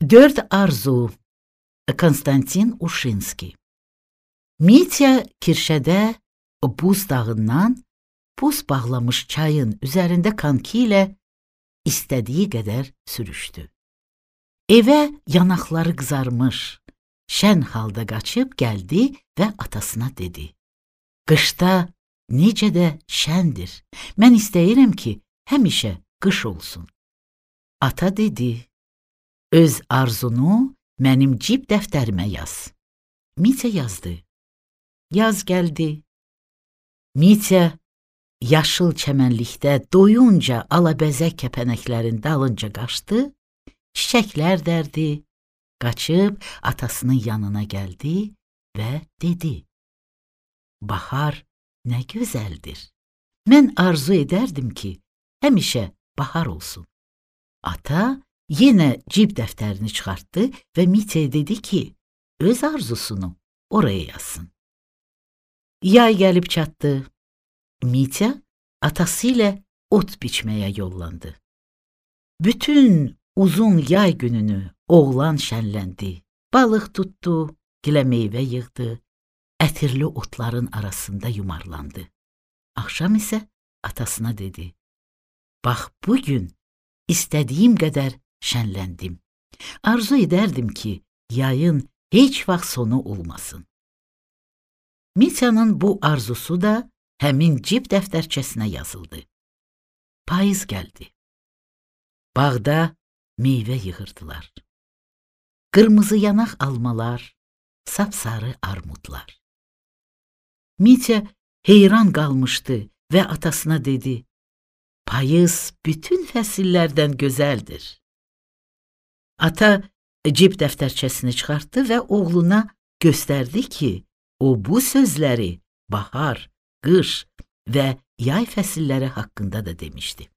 Dörd arzu. Konstantin Uşinski. Mitya Kirşədə buz dağından buz bağlamış çayın üzərində konki ilə istədiyi qədər sürüşdü. Evə yanaqları qızarmış, şən halda qaçıb gəldi və atasına dedi: "Qışda necə də şəndir. Mən istəyirəm ki, həmişə qış olsun." Ata dedi: "Öz arzunu mənim cib dəftərimə yaz." Mitya yazdı. Yaz gəldi. Mitya yaşıl çəmənlikdə doyunca alabəzək kəpənəklərin dalınca qaçdı, çiçəklər dərdi, qaçıb atasının yanına gəldi və dedi: "Bahar nə gözəldir. Mən arzu edərdim ki, həmişə bahar olsun." Ata yenə cib dəftərini çıxartdı və Mityaya dedi ki, öz arzusunu oraya yazsın. Yay gəlib çatdı. Mitya atası ilə ot biçməyə yollandı. Bütün uzun yay gününü oğlan şənləndi. Balıq tutdu, gilə meyvə yığdı, ətirli otların arasında yumarlandı. Axşam isə atasına dedi: "Bax, bugün istədiyim qədər şənləndim. Arzu edərdim ki, yayın heç vaxt sonu olmasın." Mityanın bu arzusu da həmin cib dəftərçəsinə yazıldı. Payız gəldi. Bağda meyvə yığırdılar. Qırmızı yanaq almalar, sapsarı armudlar. Mitya heyran qalmışdı və atasına dedi: "Payız bütün fəsillərdən gözəldir." Ata cib dəftərçəsini çıxartdı və oğluna göstərdi ki, o bu sözləri bahar, qış və yay fəsilləri haqqında da demişdi.